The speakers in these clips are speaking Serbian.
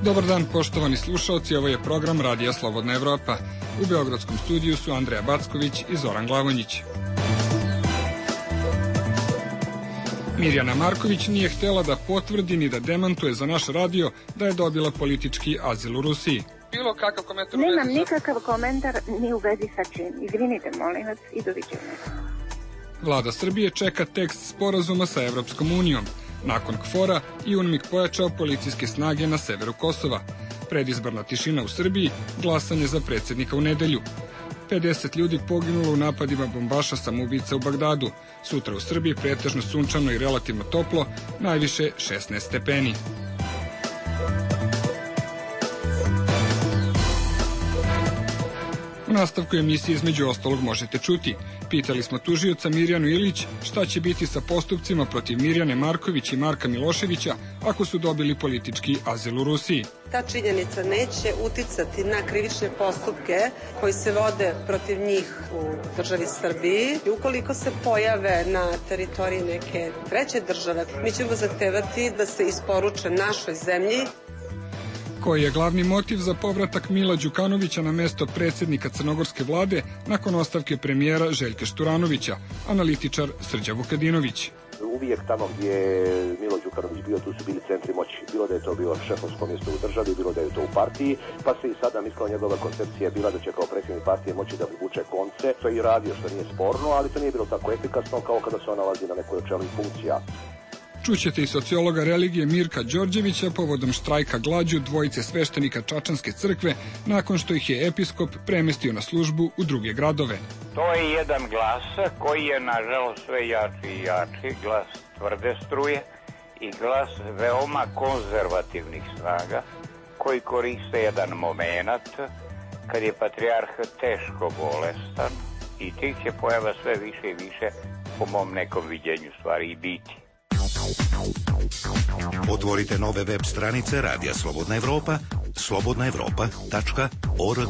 Dobar dan, poštovani slušalci, ovo je program Radija Slobodna Evropa. U beogradskom studiju su Andreja Backović i Zoran Glavonjić. Mirjana Marković nije htela da potvrdi ni da demantuje za naš radio da je dobila politički azil u Rusiji. Bilo kakav komentar? Nemam nikakav komentar ni u vezi sa čim. Izvinite, molim vas, i doviđenja. Vlada Srbije čeka tekst sporazuma sa Evropskom unijom. Nakon KFOR-a i UNMIK pojačao policijske snage na severu Kosova. Predizborna tišina u Srbiji, glasanje za predsjednika u nedelju. 50 ljudi poginulo u napadima bombaša samoubica u Bagdadu. Sutra u Srbiji pretežno sunčano i relativno toplo, najviše 16 stepeni. U nastavku emisije između ostalog možete čuti. Pitali smo tužioca Mirjanu Ilić šta će biti sa postupcima protiv Mirjane Marković i Marka Miloševića ako su dobili politički azil u Rusiji. Ta činjenica neće uticati na krivične postupke koji se vode protiv njih u državi Srbiji. I ukoliko se pojave na teritoriji neke treće države, mi ćemo zahtevati da se isporuče našoj zemlji. Koji je glavni motiv za povratak Mila Đukanovića na mesto predsjednika crnogorske vlade nakon ostavke premijera Željka Šturanovića, analitičar Srđan Vukadinović. Uvijek tamo gdje je Milo Đukanović bio, tu su bili centri moći. Bilo da je to bilo šefovsko mjesto u državi, bilo da je to u partiji, pa se i sada mislila njegova koncepcija je bila da će kao predsjednik partije moći da vuče konce. To je i radio, što nije sporno, ali to nije bilo tako efikasno kao kada se on nalazi na nekoj od čelnih funkcija. Čućete i sociologa religije Mirka Đorđevića povodom štrajka glađu dvojice sveštenika Čačanske crkve nakon što ih je episkop premestio na službu u druge gradove. To je jedan glas koji je nažalost sve jači i jači, glas tvrde struje i glas veoma konzervativnih snaga koji koriste jedan moment kad je patrijarh teško bolestan i tih će pojava sve više i više po mom nekom viđenju stvari i biti. Otvorite nove web stranice Radija Slobodna Evropa, slobodnaevropa.org.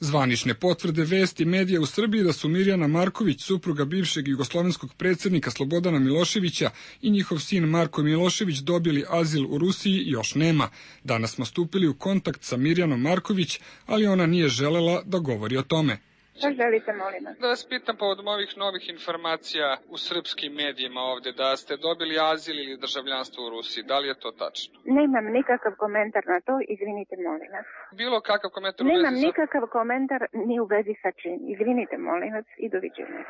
Zvanične potvrde vesti medija u Srbiji da su Mirjana Marković, supruga bivšeg jugoslovenskog predsjednika Slobodana Miloševića i njihov sin Marko Milošević dobili azil u Rusiji još nema. Danas smo stupili u kontakt sa Mirjanom Marković, ali ona nije želela da govori o tome. Šta želite, molim vas? Da vas pitam povodom ovih novih informacija u srpskim medijima ovde, da ste dobili azil ili državljanstvo u Rusiji, da li je to tačno? Nemam nikakav komentar na to, izvinite, molim vas. Bilo kakav komentar Nemam nikakav komentar ni u vezi sa čim. Izvinite, molim vas, i doviđenja.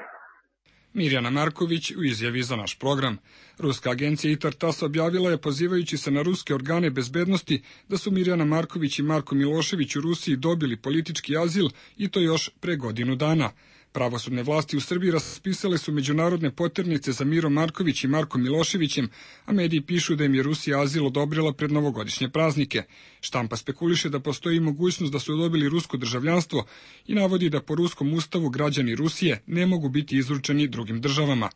Mirjana Marković u izjavi za naš program. Ruska agencija ITAR-TASS objavila je, pozivajući se na ruske organe bezbednosti, da su Mirjana Marković i Marko Milošević u Rusiji dobili politički azil i to još pre godinu dana. Pravosudne vlasti u Srbiji raspisale su međunarodne poternice za Miro Marković i Markom Miloševićem, a mediji pišu da im je Rusija azil odobrila pred novogodišnje praznike. Štampa spekuliše da postoji mogućnost da su dobili rusko državljanstvo i navodi da po ruskom ustavu građani Rusije ne mogu biti izručeni drugim državama.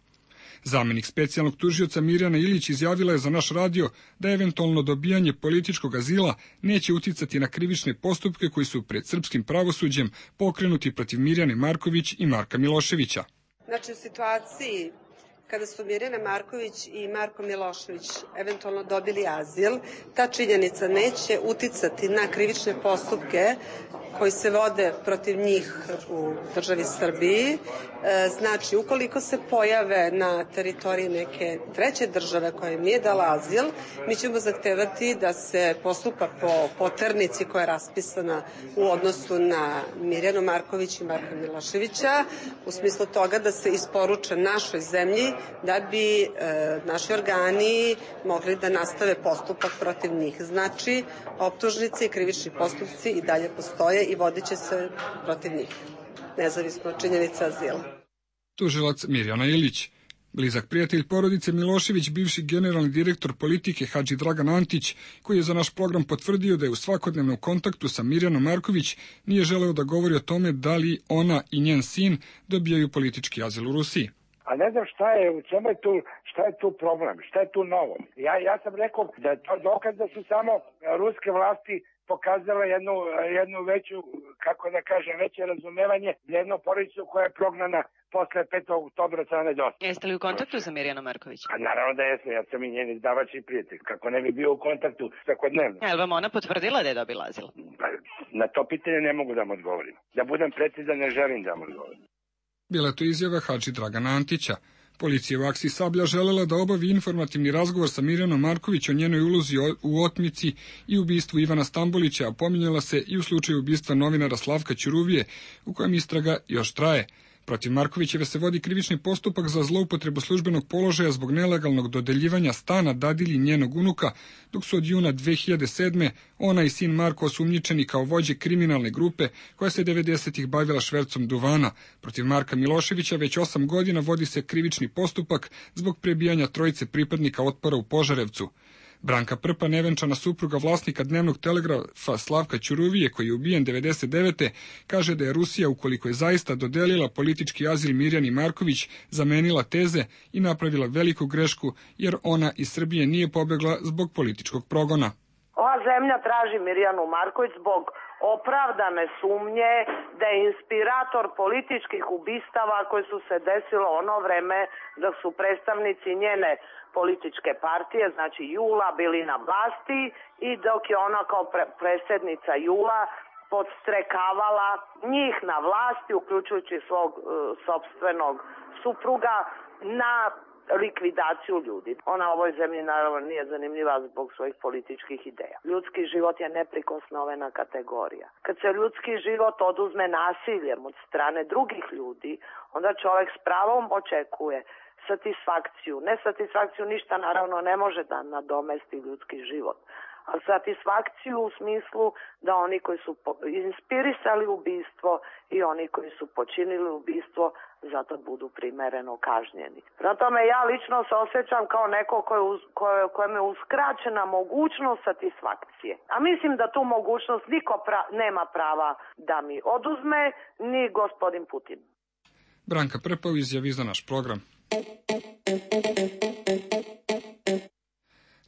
Zamenik specijalnog tužioca Mirjana Ilić izjavila je za naš radio da eventualno dobijanje političkog azila neće uticati na krivične postupke koji su pred srpskim pravosuđem pokrenuti protiv Mirjane Marković i Marka Miloševića. Znači, u situaciji kada su Mirjana Marković i Marko Milošević eventualno dobili azil, ta činjenica neće uticati na krivične postupke koji se vode protiv njih u državi Srbiji. Znači, ukoliko se pojave na teritoriji neke treće države koja im nije dala azil, mi ćemo zahtevati da se postupa po poternici koja je raspisana u odnosu na Mirjanu Marković i Marka Miloševića, u smislu toga da se isporuče našoj zemlji da bi naši organi mogli da nastave postupak protiv njih. Znači, optužnice i krivični postupci i dalje postoje i vodit će se protiv njih, nezavisno od činjenica azila. Tužilac Mirjana Ilić. Blizak prijatelj porodice Milošević, bivši generalni direktor politike Hadži Dragan Antić, koji je za naš program potvrdio da je u svakodnevnom kontaktu sa Mirjanom Marković, nije želeo da govori o tome da li ona i njen sin dobijaju politički azil u Rusiji. A ne znam šta je tu problem, šta je tu novo. Ja sam rekao da je to dokaz da su samo ruske vlasti pokazala jednu veću, kako da kažem, veće razumevanje za jednu porodicu koja je prognana posle 5. oktobra strane dosta. Jeste li u kontaktu sa Mirjanom Marković? A naravno da jesam, ja sam i njen izdavač i prijatelj. Kako ne bi bio u kontaktu svakodnevno. Je li vam ona potvrdila da je dobila azil? Na to pitanje ne mogu da vam odgovorim. Da budem precizan, ne želim da vam odgovorim. Bila je to izjava Hadži Dragana Antića. Policija u akciji Sablja želela da obavi informativni razgovor sa Mirjanom Marković o njenoj ulozi u otmici i ubistvu Ivana Stambolića, a pominjala se i u slučaju ubistva novinara Slavka Ćuruvije, u kojem istraga još traje. Protiv Markovićeve se vodi krivični postupak za zloupotrebu službenog položaja zbog nelegalnog dodeljivanja stana dadilji njenog unuka, dok su od juna 2007. ona i sin Marko osumnjičeni kao vođe kriminalne grupe koja se 90-ih bavila švercom duvana. Protiv Marka Miloševića već 8 godina vodi se krivični postupak zbog prebijanja trojice pripadnika Otpora u Požarevcu. Branka Prpa, nevenčana supruga vlasnika dnevnog telegrafa Slavka Ćuruvije, koji je ubijen 99. kaže da je Rusija, ukoliko je zaista dodelila politički azil Mirjani Marković, zamenila teze i napravila veliku grešku, jer ona iz Srbije nije pobegla zbog političkog progona. Ova zemlja traži Mirjanu Marković zbog opravdane sumnje da je inspirator političkih ubistava koje su se desilo ono vreme dok su predstavnici njene političke partije, znači Jula, bili na vlasti i dok je ona kao predsjednica Jula podstrekavala njih na vlasti, uključujući svog sopstvenog supruga, na likvidaciju ljudi. Ona u ovoj zemlji naravno nije zanimljiva zbog svojih političkih ideja. Ljudski život je neprikosnovena kategorija. Kad se ljudski život oduzme nasiljem od strane drugih ljudi, onda čovjek s pravom očekuje satisfakciju. Ne satisfakciju, ništa naravno ne može da nadomesti ljudski život, ali satisfakciju u smislu da oni koji su inspirisali ubistvo i oni koji su počinili ubistvo zato budu primereno kažnjeni. Prema tome ja lično se osjećam kao neko kojem je uskraćena mogućnost satisfakcije. A mislim da tu mogućnost niko nema prava da mi oduzme, ni gospodin Putin. Branka Prpa u izjavi za naš program.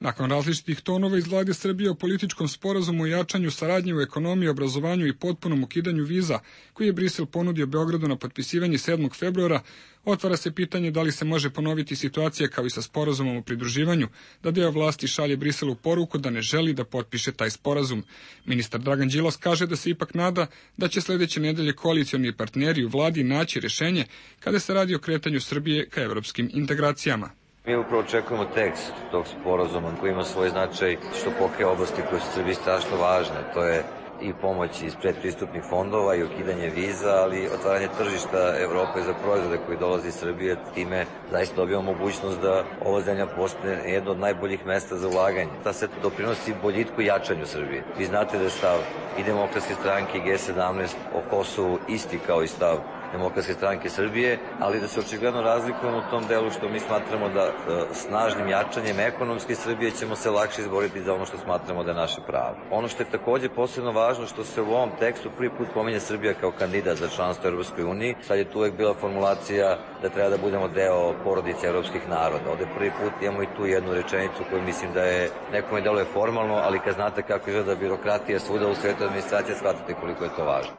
Nakon različitih tonova iz vlade Srbije o političkom sporazumu o jačanju saradnje u ekonomiji, obrazovanju i potpunom ukidanju viza, koji je Brisel ponudio Beogradu na potpisivanje 7. februara, otvara se pitanje da li se može ponoviti situacija kao i sa sporazumom o pridruživanju, da deo vlasti šalje Briselu poruku da ne želi da potpiše taj sporazum. Ministar Dragan Đilas kaže da se ipak nada da će sledeće nedelje koalicioni partneri u vladi naći rešenje kada se radi o kretanju Srbije ka evropskim integracijama. Mi upravo očekujemo tekst tog sporazuma koji ima svoj značaj što pokriva oblasti koje su Srbiji strašno važne. To je i pomoć iz predpristupnih fondova i ukidanje viza, ali otvaranje tržišta Evrope za proizvode koji dolaze iz Srbije. Time zaista dobijamo mogućnost da ova zemlja postane jedno od najboljih mesta za ulaganje. Ta se doprinosi boljitku i jačanju Srbije. Vi znate da je stav i Demokratske stranke i G17 o Kosovu isti kao i stav Demokratske stranke Srbije, ali da se očigledno razlikujemo u tom delu što mi smatramo da snažnim jačanjem ekonomske Srbije ćemo se lakše izboriti za ono što smatramo da je naše pravo. Ono što je takođe posebno važno što se u ovom tekstu prvi put pominje Srbija kao kandidat za članstvo u Europskoj uniji. Sad je tu uvek bila formulacija da treba da budemo deo porodice evropskih naroda. Ovde prvi put imamo i tu jednu rečenicu koju mislim da je nekome deluje formalno, ali kad znate kako izgleda birokratija svuda u svetu administracije, shvatate koliko je to važno.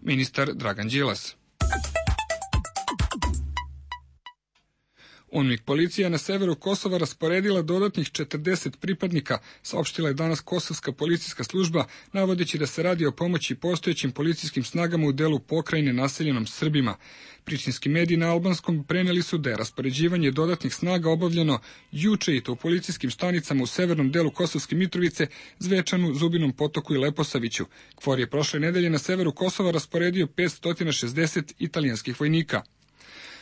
Ministar Dragan Đilas. UNMIK policija na severu Kosova rasporedila dodatnih 40 pripadnika, saopštila je danas Kosovska policijska služba, navodeći da se radi o pomoći postojećim policijskim snagama u delu pokrajine naseljenom Srbima. Prištinski mediji na albanskom preneli su da je raspoređivanje dodatnih snaga obavljeno juče i to u policijskim stanicama u severnom delu Kosovske Mitrovice, Zvečanu, Zubinom Potoku i Leposaviću. KFOR je prošle nedelje na severu Kosova rasporedio 560 italijanskih vojnika.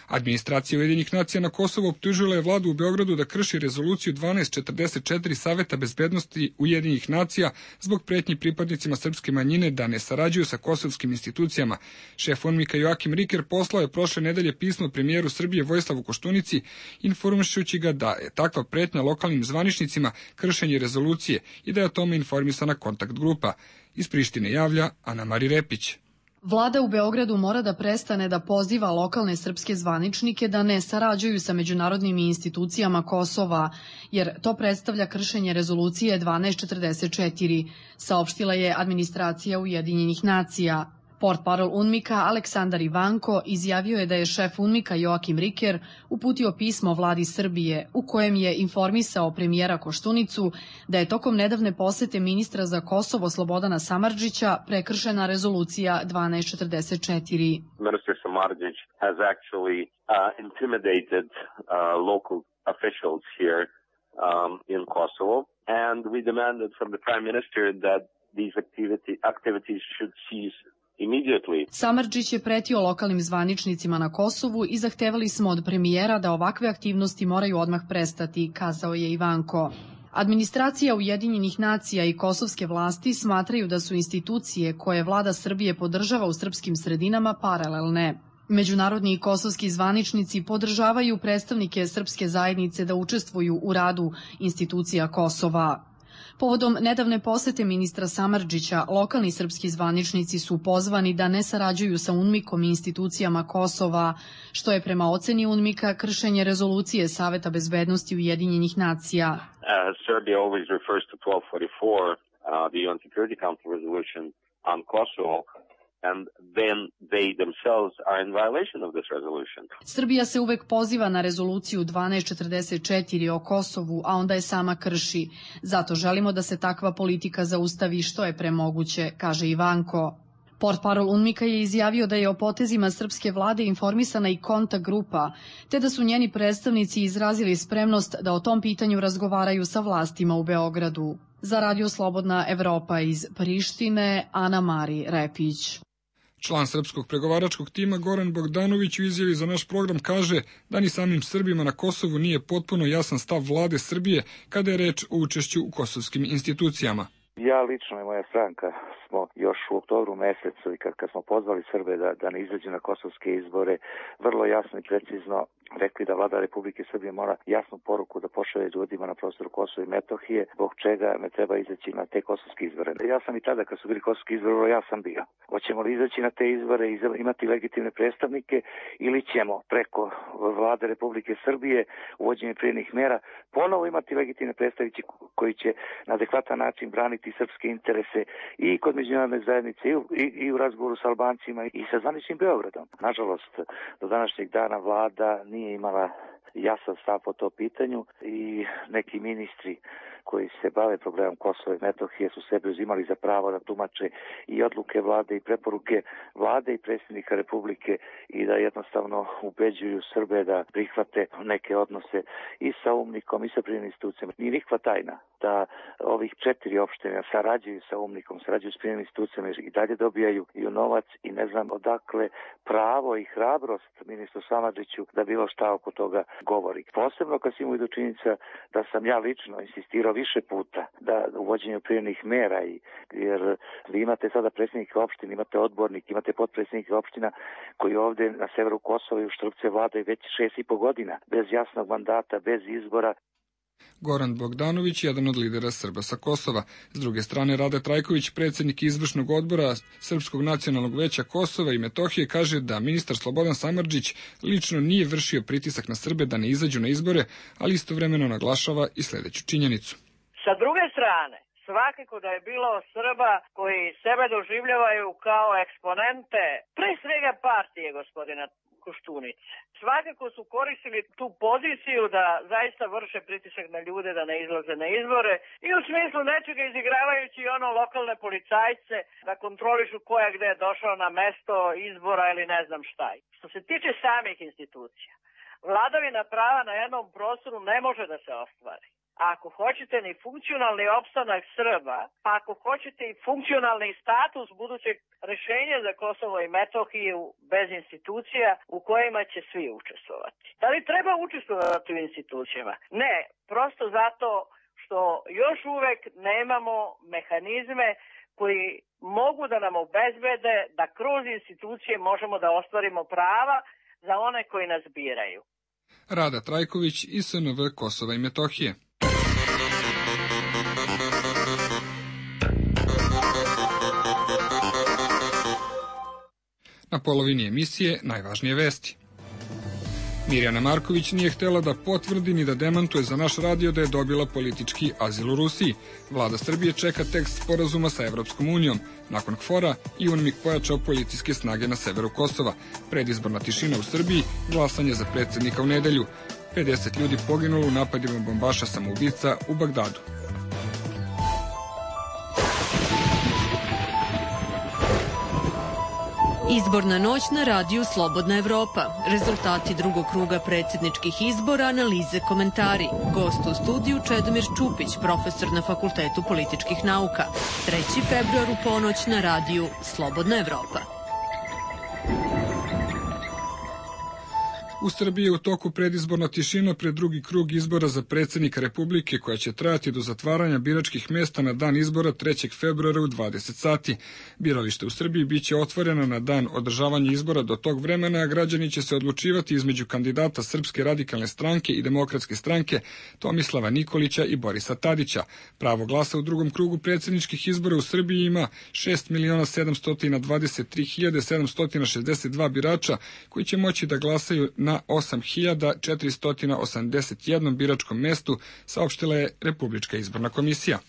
Administracija Ujedinjenih nacija na Kosovu optužila je vladu u Beogradu da krši rezoluciju 1244 Saveta bezbednosti Ujedinjenih nacija zbog pretnji pripadnicima srpske manjine da ne sarađuju sa kosovskim institucijama. Šef UNMIK-a Joakim Riker poslao je prošle nedelje pismo premijeru Srbije Vojislavu Koštunici, informišući ga da je takva pretnja lokalnim zvaničnicima kršenje rezolucije i da je o tome informisana kontakt grupa. Iz Prištine javlja Ana Mari Repić. Vlada u Beogradu mora da prestane da poziva lokalne srpske zvaničnike da ne sarađuju sa međunarodnim institucijama Kosova, jer to predstavlja kršenje rezolucije 1244, saopštila je administracija Ujedinjenih nacija. Portparol UNMIK-a Aleksandar Ivanko izjavio je da je šef UNMIK-a Joakim Riker uputio pismo vladi Srbije u kojem je informisao premijera Koštunicu da je tokom nedavne posete ministra za Kosovo Slobodana Samardžića prekršena rezolucija 1244. Minister Samardžić has actually intimidated local officials here in Kosovo, and we demanded from the Prime Minister that these activities should cease immediately. Samardžić je pretio lokalnim zvaničnicima na Kosovu i zahtevali smo od premijera da ovakve aktivnosti moraju odmah prestati, kazao je Ivanko. Administracija Ujedinjenih nacija i kosovske vlasti smatraju da su institucije koje vlada Srbije podržava u srpskim sredinama paralelne. Međunarodni i kosovski zvaničnici podržavaju predstavnike srpske zajednice da učestvuju u radu institucija Kosova. Povodom nedavne posete ministra Samardžića, lokalni srpski zvaničnici su pozvani da ne sarađuju sa UNMIK-om i institucijama Kosova, što je prema oceni UNMIK-a kršenje rezolucije Saveta bezbednosti Ujedinjenih nacija. Serbia always refers to 1244, the UN Security Council resolution on Kosovo, and then they themselves are in violation of this resolution. Srbija se uvek poziva na rezoluciju 1244 o Kosovu, a onda je sama krši. Zato želimo da se takva politika zaustavi što je pre moguće, kaže Ivanko. Portparol UNMIK-a je izjavio da je o potezima srpske vlade informisana i kontakt grupa, te da su njeni predstavnici izrazili spremnost da o tom pitanju razgovaraju sa vlastima u Beogradu. Za Radio Slobodna Evropa iz Prištine, Ana Mari Repić. Član srpskog pregovaračkog tima Goran Bogdanović u izjavi za naš program kaže da ni samim Srbima na Kosovu nije potpuno jasan stav vlade Srbije kada je reč o učešću u kosovskim institucijama. Ja lično i moja stranka smo još u oktobru mesecu i kad smo pozvali Srbe da ne izađu na kosovske izbore, vrlo jasno i precizno rekli da vlada Republike Srbije mora jasnu poruku da pošalje ljudima na prostoru Kosova i Metohije, zbog čega ne treba izaći na te kosovske izbore. Ja sam i tada kad su bili kosovski izbori, ja sam bio. Hoćemo li izaći na te izbore i imati legitimne predstavnike ili ćemo preko vlade Republike Srbije uvođenjem prijenih mera ponovo imati legitimne predstavnike koji će na adekvatan način braniti srpske interese i kod međunarodne zajednice i u razgovoru sa Albancima i sa zvaničnim Beogradom. Nažalost, do današnjeg dana vlada nije imala jasan stav po to pitanju i neki ministri koji se bave problemom Kosova i Metohije su sebe uzimali za pravo da tumače i odluke vlade i preporuke vlade i predsjednika Republike i da jednostavno ubeđuju Srbe da prihvate neke odnose i sa UNMIK-om i sa privremenim institucijama. Nije nikakva tajna da ovih 4 opštine sarađuju sa UNMIK-om, sarađuju s privremenim institucijama i dalje dobijaju i novac i ne znam odakle pravo i hrabrost ministru Samardžiću da bilo šta oko toga govori. Posebno kad se imaju do činjenica da sam ja lično insistirao više puta da uvođenju privremenih mera, jer vi imate sada predsjednike opština, imate odbornik, imate potpredsjednike opština koji ovde na severu Kosova i u Štrpce vladaju već 6,5 godina, bez jasnog mandata, bez izbora. Goran Bogdanović, jedan od lidera Srba sa Kosova. S druge strane, Rade Trajković, predsjednik izvršnog odbora Srpskog nacionalnog veća Kosova i Metohije, kaže da ministar Slobodan Samardžić lično nije vršio pritisak na Srbe da ne izađu na izbore, ali istovremeno naglašava i sledeću činjenicu. Sa druge strane, svakako da je bilo Srba koji sebe doživljavaju kao eksponente, pre svega partije gospodina Koštunice. Svakako su koristili tu poziciju da zaista vrše pritisak na ljude da ne izlaze na izbore i u smislu nečega izigravajući ono lokalne policajce da kontrolišu ko je gde došao na mesto izbora ili ne znam šta. Što se tiče samih institucija, vladavina prava na jednom prostoru ne može da se ostvari. Ako hoćete ni funkcionalni opstanak Srba, pa ako hoćete i funkcionalni status budućeg rešenja za Kosovo i Metohiju bez institucija u kojima će svi učestvovati. Da li treba učestvovati u institucijama? Ne, prosto zato što još uvek nemamo mehanizme koji mogu da nam obezbede da kroz institucije možemo da ostvarimo prava za one koji nas biraju. Rada Trajković i SNV Kosova i Metohije. Na polovini emisije najvažnije vesti. Mirjana Marković nije htela da potvrdi ni da demantuje za naš radio da je dobila politički azil u Rusiji. Vlada Srbije čeka tekst sporazuma sa Evropskom unijom. Nakon KFOR-a i UNMIK pojačao policijske snage na severu Kosova. Predizborna tišina u Srbiji, glasanje za predsjednika u nedelju. 50 ljudi poginulo u napadima bombaša samoubica u Bagdadu. Izborna noć na radiju Slobodna Evropa. Rezultati drugog kruga predsjedničkih izbora, analize, komentari. Gost u studiju Čedomir Čupić, profesor na Fakultetu političkih nauka. 3. februar u ponoć na radiju Slobodna Evropa. U Srbiji je u toku predizborna tišina pred drugi krug izbora za predsjednika Republike koja će trajati do zatvaranja biračkih mesta na dan izbora 3. februara u 20 sati. Biralište u Srbiji biće otvoreno na dan održavanja izbora do tog vremena, a građani će se odlučivati između kandidata Srpske radikalne stranke i Demokratske stranke Tomislava Nikolića i Borisa Tadića. Pravo glasa u drugom krugu predsjedničkih izbora u Srbiji ima 6.723.762 birača koji će moći da glasaju na 8.481 biračkom mestu, saopštila je Republička izborna komisija.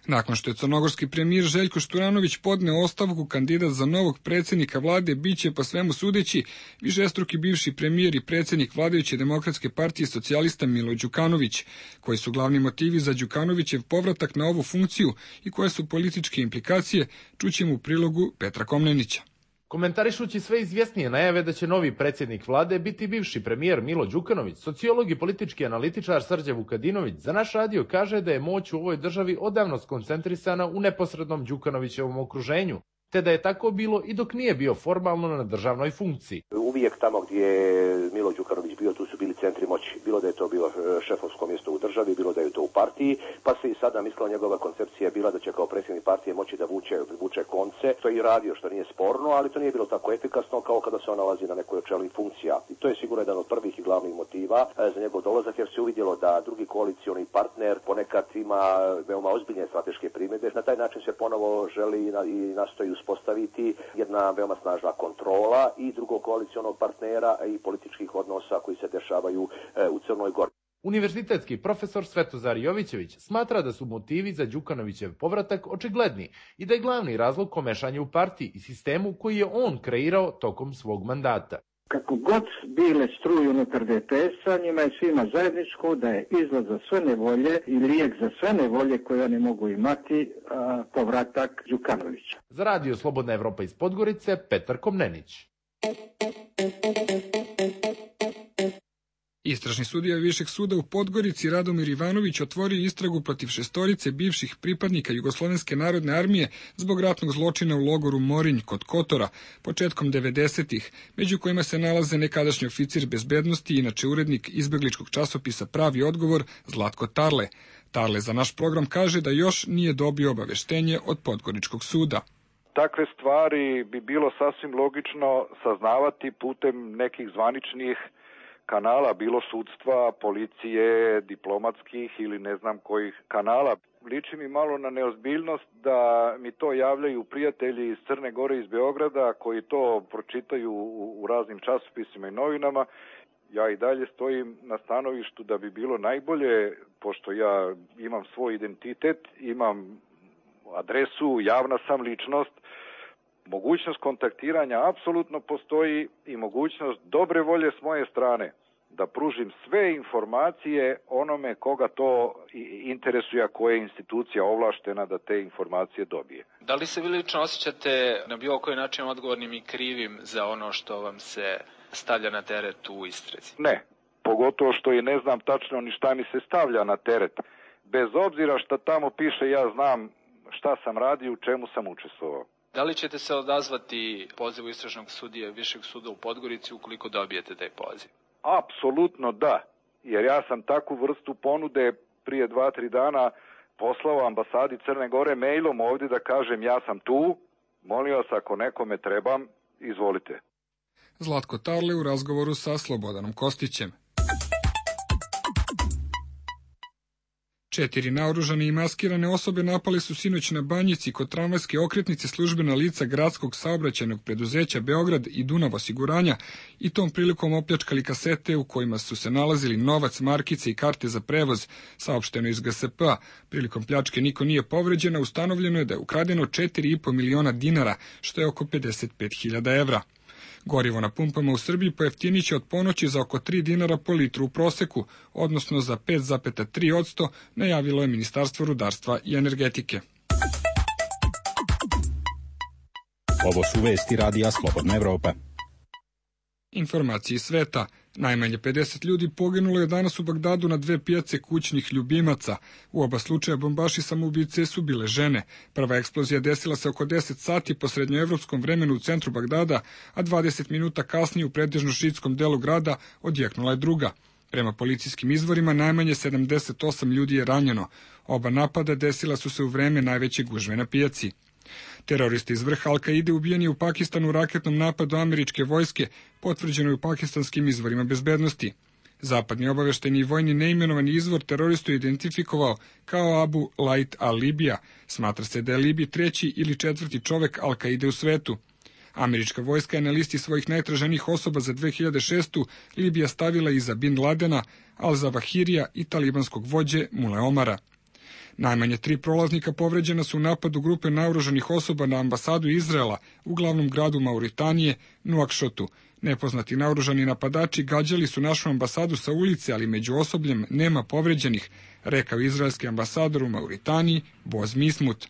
Nakon što je crnogorski premijer Željko Šturanović podneo ostavku, kandidat za novog predsjednika vlade biće, po svemu sudeći, višestruki bivši premijer i predsjednik vladajuće Demokratske partije socijalista Milo Đukanović. Koji su glavni motivi za Đukanovićev povratak na ovu funkciju i koje su političke implikacije, čućemo u prilogu Petra Komnenića. Komentarišući sve izvjesnije najave da će novi predsjednik vlade biti bivši premijer Milo Đukanović, sociolog i politički analitičar Srđan Vukadinović za naš radio kaže da je moć u ovoj državi odavno skoncentrisana u neposrednom Đukanovićevom okruženju, te da je tako bilo i dok nije bio formalno na državnoj funkciji. Uvijek tamo gdje je Milo Đukanović bio, tu su bili centri moći. Bilo da je to bilo šefovsko mjesto u državi, bilo da je to u partiji, pa se i sada mislila njegova koncepcija bila da će kao predsjednik partije moći da vuče konce. To je i radio, što nije sporno, ali to nije bilo tako efikasno kao kada se on nalazi na nekoj od čelnih funkcija. I to je sigurno jedan od prvih i glavnih motiva za njegov dolazak, jer se uvidjelo da drugi koalicioni partner ponekad ima veoma ozbiljne strateške primjedbe. Na taj način se ponovo želi i nastoji uspostaviti jedna veoma snažna kontrola i drugog koalicionog partnera i političkih odnosa koji se dešavaju u Crnoj Gori. Univerzitetski profesor Svetozar Jovićević smatra da su motivi za Đukanovićev povratak očigledni i da je glavni razlog komešanje u partiji i sistemu koji je on kreirao tokom svog mandata. Kako god bile struje unutar DPS-a, njima je svima zajedničko da je izlaz za sve nevolje i lijek za sve nevolje koje oni mogu imati povratak Đukanovića. Za radio Slobodna Evropa iz Podgorice, Petar Komnenić. Istražni sudija Višeg suda u Podgorici Radomir Ivanović otvorio istragu protiv 6 bivših pripadnika Jugoslovenske narodne armije zbog ratnog zločina u logoru Morinj kod Kotora početkom 90-ih, među kojima se nalaze nekadašnji oficir bezbednosti i inače urednik izbegličkog časopisa Pravi odgovor Zlatko Tarle. Tarle za naš program kaže da još nije dobio obaveštenje od Podgoričkog suda. Takve stvari bi bilo sasvim logično saznavati putem nekih zvaničnih kanala, bilo sudstva, policije, diplomatskih ili ne znam kojih kanala. Liči mi malo na neozbiljnost da mi to javljaju prijatelji iz Crne Gore, iz Beograda, koji to pročitaju u raznim časopisima i novinama. Ja i dalje stojim na stanovištu da bi bilo najbolje, pošto ja imam svoj identitet, imam adresu, javna sam ličnost, mogućnost kontaktiranja apsolutno postoji i mogućnost dobre volje s moje strane da pružim sve informacije onome koga to interesuje, koja je institucija ovlaštena da te informacije dobije. Da li se vi lično osjećate na bilo koji način odgovornim i krivim za ono što vam se stavlja na teret u istrazi? Ne, pogotovo što i ne znam tačno ni šta mi se stavlja na teret. Bez obzira šta tamo piše, ja znam šta sam radio, u čemu sam učestvovao. Da li ćete se odazvati pozivu istražnog sudije Višeg suda u Podgorici ukoliko dobijete taj poziv? Apsolutno da, jer ja sam takvu vrstu ponude prije 2-3 dana poslao ambasadi Crne Gore mailom ovdje da kažem ja sam tu, molim vas ako nekome trebam, izvolite. Zlatko Tarle u razgovoru sa Slobodanom Kostićem. 4 naoružane i maskirane osobe napale su sinoć na Banjici kod tramvajske okretnice službena lica gradskog saobraćajnog preduzeća Beograd i Dunav osiguranja i tom prilikom opljačkali kasete u kojima su se nalazili novac, markice i karte za prevoz, saopšteno iz GSP-a. Prilikom pljačke niko nije povređen, a ustanovljeno je da je ukradeno 4,5 miliona dinara, što je oko 55.000 evra. Gorivo na pumpama u Srbiji pojeftiniće od ponoći za oko 3 dinara po litru u proseku, odnosno za 5,3%, najavilo je Ministarstvo rudarstva i energetike. Ovo su vesti Radija Slobodna Evropa. Informacije iz sveta. Najmanje 50 ljudi poginulo je danas u Bagdadu na 2 pijace kućnih ljubimaca. U oba slučaja bombaši samoubice su bile žene. Prva eksplozija desila se oko 10 sati po srednjoevropskom vremenu u centru Bagdada, a 20 minuta kasnije u pretežno šiitskom delu grada odjeknula je druga. Prema policijskim izvorima najmanje 78 ljudi je ranjeno. Oba napada desila su se u vreme najveće gužve na pijaci. Teroristi iz vrha Al-Kaide ubijeni u Pakistanu u raketnom napadu američke vojske, potvrđeno je u pakistanskim izvorima bezbednosti. Zapadni obaveštajni i vojni neimenovani izvor teroristu je identifikovao kao Abu Lait al-Libija. Smatra se da je Libi 3. ili 4. čovek Al-Kaide u svetu. Američka vojska je na listi svojih najtraženijih osoba za 2006. Libija stavila iza Bin Ladena, Al-Zawahirija i talibanskog vođe Mule Omara. Najmanje 3 prolaznika povređena su u napadu grupe naoružanih osoba na ambasadu Izraela u glavnom gradu Mauritanije, Nuakšotu. Nepoznati naoružani napadači gađali su našu ambasadu sa ulice, ali među osobljem nema povređenih, rekao izraelski ambasador u Mauritaniji Boz Mismut.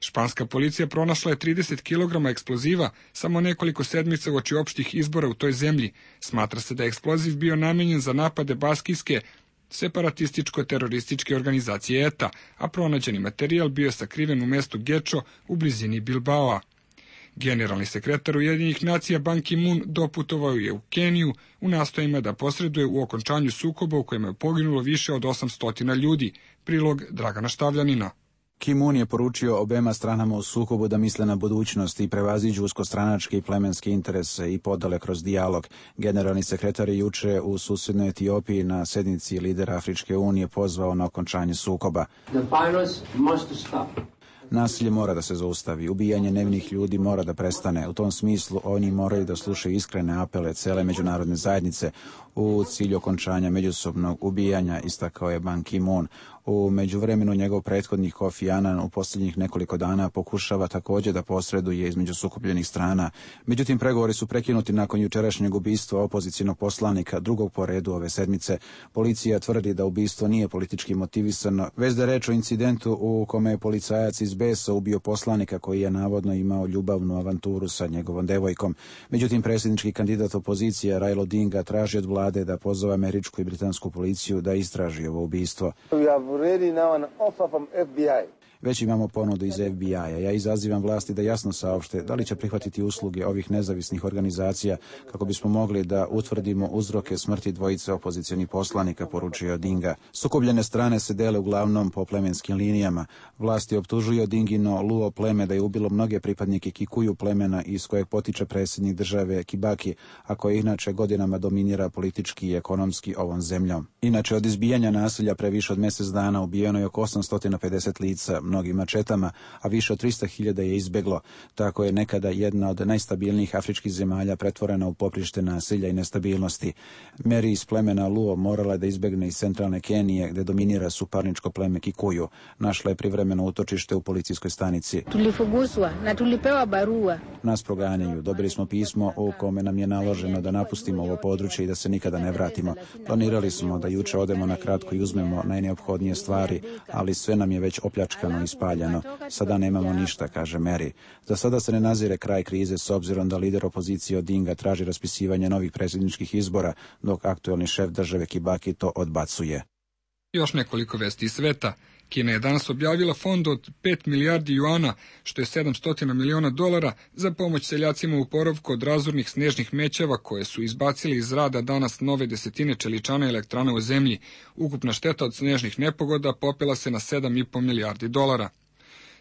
Španska policija pronašla je 30 kg eksploziva samo nekoliko sedmica uoči opštih izbora u toj zemlji. Smatra se da je eksploziv bio namenjen za napade baskijske separatističko-terorističke organizacije ETA, a pronađeni materijal bio je sakriven u mestu Gečo u blizini Bilbaoa. Generalni sekretar Ujedinjenih nacija Ban Ki-moon doputovao je u Keniju u nastojima da posreduje u okončanju sukoba u kojem je poginulo više od 800 ljudi. Prilog Dragana Štavljanina. Ki-moon je poručio obema stranama u sukobu da misle na budućnost i prevaziđu uskostranačke i plemenske interese i podale kroz dijalog. Generalni sekretar je juče u susednoj Etiopiji na sednici lidera Afričke unije pozvao na okončanje sukoba. Nasilje mora da se zaustavi, ubijanje nevinih ljudi mora da prestane. U tom smislu oni moraju da slušaju iskrene apele cele međunarodne zajednice u cilju okončanja međusobnog ubijanja, istakao je Ban Ki-moon. U međuvremenu njegov prethodnik Kofi Annan u posljednjih nekoliko dana pokušava također da posreduje između sukobljenih strana. Međutim, pregovori su prekinuti nakon jučerašnjeg ubistva opozicionog poslanika, drugog po redu ove sedmice. Policija tvrdi da ubistvo nije politički motivisano, već da je reč o incidentu u kome je policajac iz besa ubio poslanika koji je navodno imao ljubavnu avanturu sa njegovom devojkom. Međutim, predsjednički kandidat opozicije Raila Odinga traži od vlade da pozove američku i britansku policiju da istraži ovo ubistvo. Već imamo ponudu iz FBI-a. Ja izazivam vlasti da jasno saopšte da li će prihvatiti usluge ovih nezavisnih organizacija kako bismo mogli da utvrdimo uzroke smrti dvojice opozicionih poslanika, poručio Odinga. Sukobljene strane se dele uglavnom po plemenskim linijama. Vlasti optužuju Odingino Luo pleme da je ubilo mnoge pripadnike Kikuju plemena iz kojeg potiče predsjednik države Kibaki, a koje inače godinama dominira politički i ekonomski ovom zemljom. Inače, od izbijanja nasilja pre više od mjesec dana ubijeno je oko 850 lica, mnogim mačetama, a više od 300.000 je izbeglo. Tako je nekada jedna od najstabilnijih afričkih zemalja pretvorena u poprište nasilja i nestabilnosti. Meri iz plemena Luo morala je da izbegne iz centralne Kenije, gde dominira suparničko pleme Kikuju. Našla je privremeno utočište u policijskoj stanici. Nas proganjaju. Dobili smo pismo u kome nam je naloženo da napustimo ovo područje i da se nikada ne vratimo. Planirali smo da juče odemo na kratko i uzmemo najneophodnije stvari, ali sve nam je već opljačkano i spaljeno. Sada nemamo ništa, kaže Meri. Za sada se ne nazire kraj krize s obzirom da lider opozicije Odinga traži raspisivanje novih predsjedničkih izbora, dok aktuelni šef države Kibaki to odbacuje. Još nekoliko vesti iz sveta. Kina je danas objavila fond od 5 milijardi juana, što je 700 miliona dolara, za pomoć seljacima u oporavku od razornih snežnih mećava koje su izbacili iz rada danas nove desetine čeličana elektrana u zemlji. Ukupna šteta od snežnih nepogoda popela se na 7,5 milijardi dolara.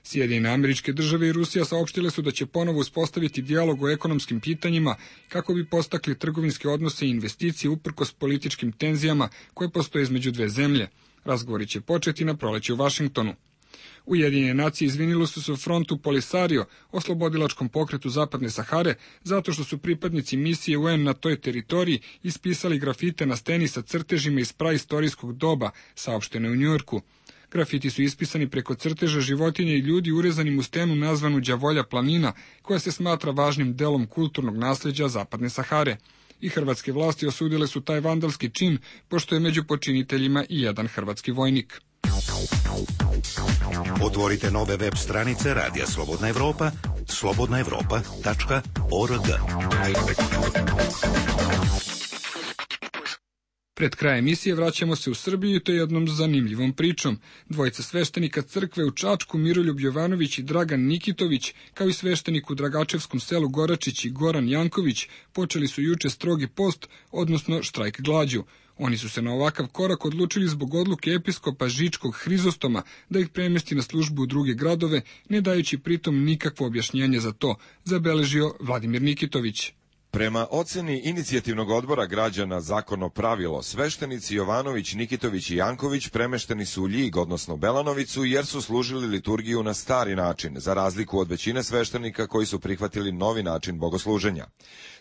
Sjedinjene Američke Države i Rusija saopštile su da će ponovo uspostaviti dijalog o ekonomskim pitanjima kako bi postakli trgovinske odnose i investicije uprkos političkim tenzijama koje postoje između dve zemlje. Razgovori će početi na proleće u Vašingtonu. Ujedinjene nacije izvinile su se u frontu Polisario, oslobodilačkom pokretu Zapadne Sahare, zato što su pripadnici misije UN na toj teritoriji ispisali grafite na steni sa crtežima iz praistorijskog doba, saopšteno u Njujorku. Grafiti su ispisani preko crteža životinja i ljudi urezanim u stenu nazvanu Đavolja planina, koja se smatra važnim delom kulturnog nasleđa Zapadne Sahare. I hrvatske vlasti osudile su taj vandalski čin, pošto je među počiniteljima i jedan hrvatski vojnik. Otvorite nove web stranice Radija Slobodna Evropa, slobodnaevropa.org. Pred kraj emisije vraćamo se u Srbiju i to jednom zanimljivom pričom. Dvojica sveštenika crkve u Čačku, Miroljub Jovanović i Dragan Nikitović, kao i sveštenik u Dragačevskom selu Goračić i Goran Janković, počeli su juče strogi post, odnosno štrajk glađu. Oni su se na ovakav korak odlučili zbog odluke episkopa Žičkog Hrizostoma da ih premesti na službu u druge gradove, ne dajući pritom nikakvo objašnjenje za to, zabeležio Vladimir Nikitović. Prema oceni inicijativnog odbora građana Zakono pravilo, sveštenici Jovanović, Nikitović i Janković premešteni su u Ljig, odnosno Belanovicu, jer su služili liturgiju na stari način, za razliku od većine sveštenika koji su prihvatili novi način bogosluženja.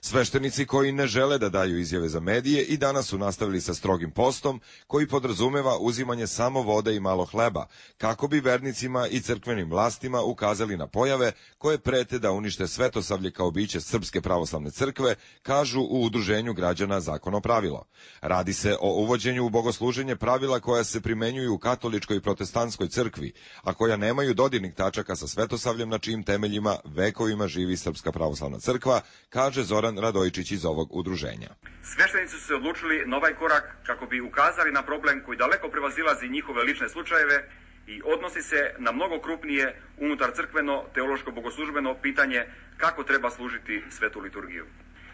Sveštenici koji ne žele da daju izjave za medije i danas su nastavili sa strogim postom, koji podrazumeva uzimanje samo vode i malo hleba, kako bi vernicima i crkvenim vlastima ukazali na pojave koje prete da unište Svetosavlje kao biće Srpske pravoslavne crkve, kažu u udruženju građana Zakono pravilo. Radi se o uvođenju u bogosluženje pravila koja se primenjuju u katoličkoj i protestantskoj crkvi, a koja nemaju dodirnih tačaka sa Svetosavljem na čijim temeljima vekovima živi Srpska pravoslavna crkva, kaže Zoran Radojčić iz ovog udruženja. Sveštenici su se odlučili na ovaj korak kako bi ukazali na problem koji daleko prevazilazi njihove lične slučajeve i odnosi se na mnogo krupnije unutar crkveno, teološko, bogoslužbeno pitanje kako treba služiti svetu liturgiju.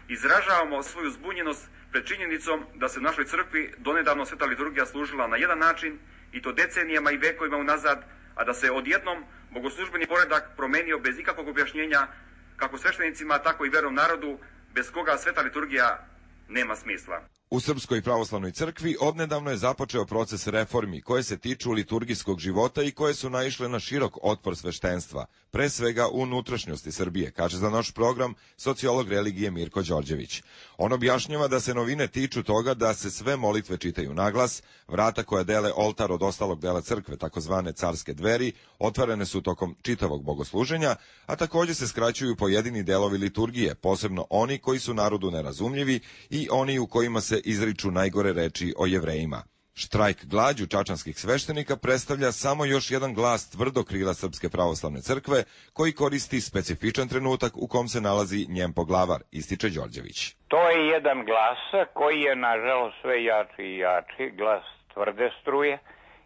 Izražavamo svoju zbunjenost pred činjenicom da se u našoj crkvi donedavno sveta liturgija služila na jedan način i to decenijama i vekovima unazad, a da se odjednom bogoslužbeni poredak promenio bez ikakvog objašnjenja kako sveštenicima, tako i vernom narodu, bez koga sveta liturgija nema smisla. U Srpskoj pravoslavnoj crkvi odnedavno je započeo proces reformi koje se tiču liturgijskog života i koje su naišle na širok otpor sveštenstva, pre svega u unutrašnjosti Srbije, kaže za naš program sociolog religije Mirko Đorđević. On objašnjava da se novine tiču toga da se sve molitve čitaju naglas, vrata koja dele oltar od ostalog dela crkve, takozvane carske dveri, otvorene su tokom čitavog bogosluženja, a također se skraćuju pojedini delovi liturgije, posebno oni koji su narodu nerazumljivi i oni u kojima se izriču najgore reči o Jevrejima. Štrajk glađu čačanskih sveštenika predstavlja samo još jedan glas tvrdog krila Srpske pravoslavne crkve koji koristi specifičan trenutak u kom se nalazi njen poglavar, ističe Đorđević. To je jedan glas koji je nažalost sve jači i jači, glas tvrde struje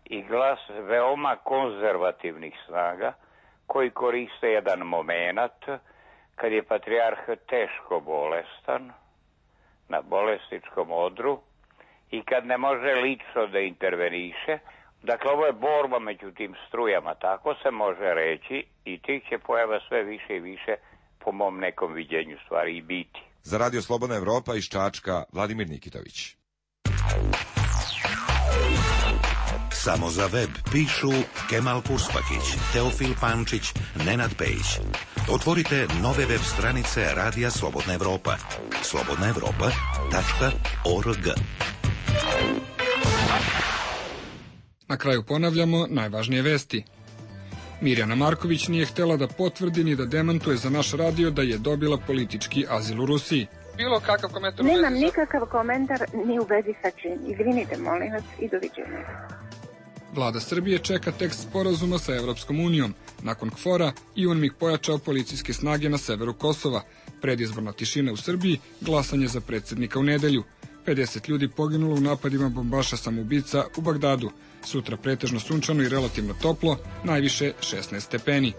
i glas veoma konzervativnih snaga koji koriste jedan moment kad je patrijarh teško bolestan na bolesničkom odru i kad ne može lično da interveniše. Dakle, ovo je borba među tim strujama, tako se može reći, i tih će pojava sve više i više po mom nekom viđenju stvari i biti. Za Radio Slobodna Evropa iz Čačka, Vladimir Nikitović. Samo za web pišu Kemal Purspakić, Teofil Pančić, Nenad Pejić. Otvorite nove web stranice Radija Slobodna Evropa, slobodnaevropa.org. Na kraju ponavljamo najvažnije vesti. Mirjana Marković nije htjela da potvrdi ni da demantuje za naš radio da je dobila politički azil u Rusiji. Bilo kakav komentar? Nemam nikakav komentar ni u vezi sa čim. Izvinite, molim vas, i doviđenja. Vlada Srbije čeka tekst sporazuma sa Evropskom unijom. Nakon KFOR-a i UNMIK pojačao policijske snage na severu Kosova. Predizborna tišina u Srbiji, glasanje za predsjednika u nedelju. 50 ljudi poginulo u napadima bombaša samoubica u Bagdadu. Sutra pretežno sunčano i relativno toplo, najviše 16 stepeni.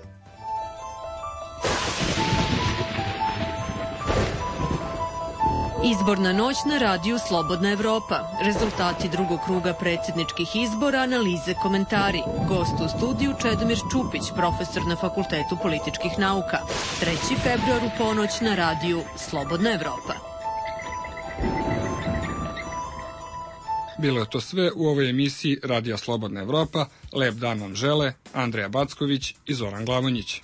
Izborna noć na radiju Slobodna Evropa. Rezultati drugog kruga predsjedničkih izbora, analize, komentari. Gost u studiju Čedomir Čupić, profesor na Fakultetu političkih nauka. 3. februar u ponoć na radiju Slobodna Evropa. Bilo je to sve u ovoj emisiji Radija Slobodna Evropa. Lep dan vam žele Andreja Backović i Zoran Glavonjić.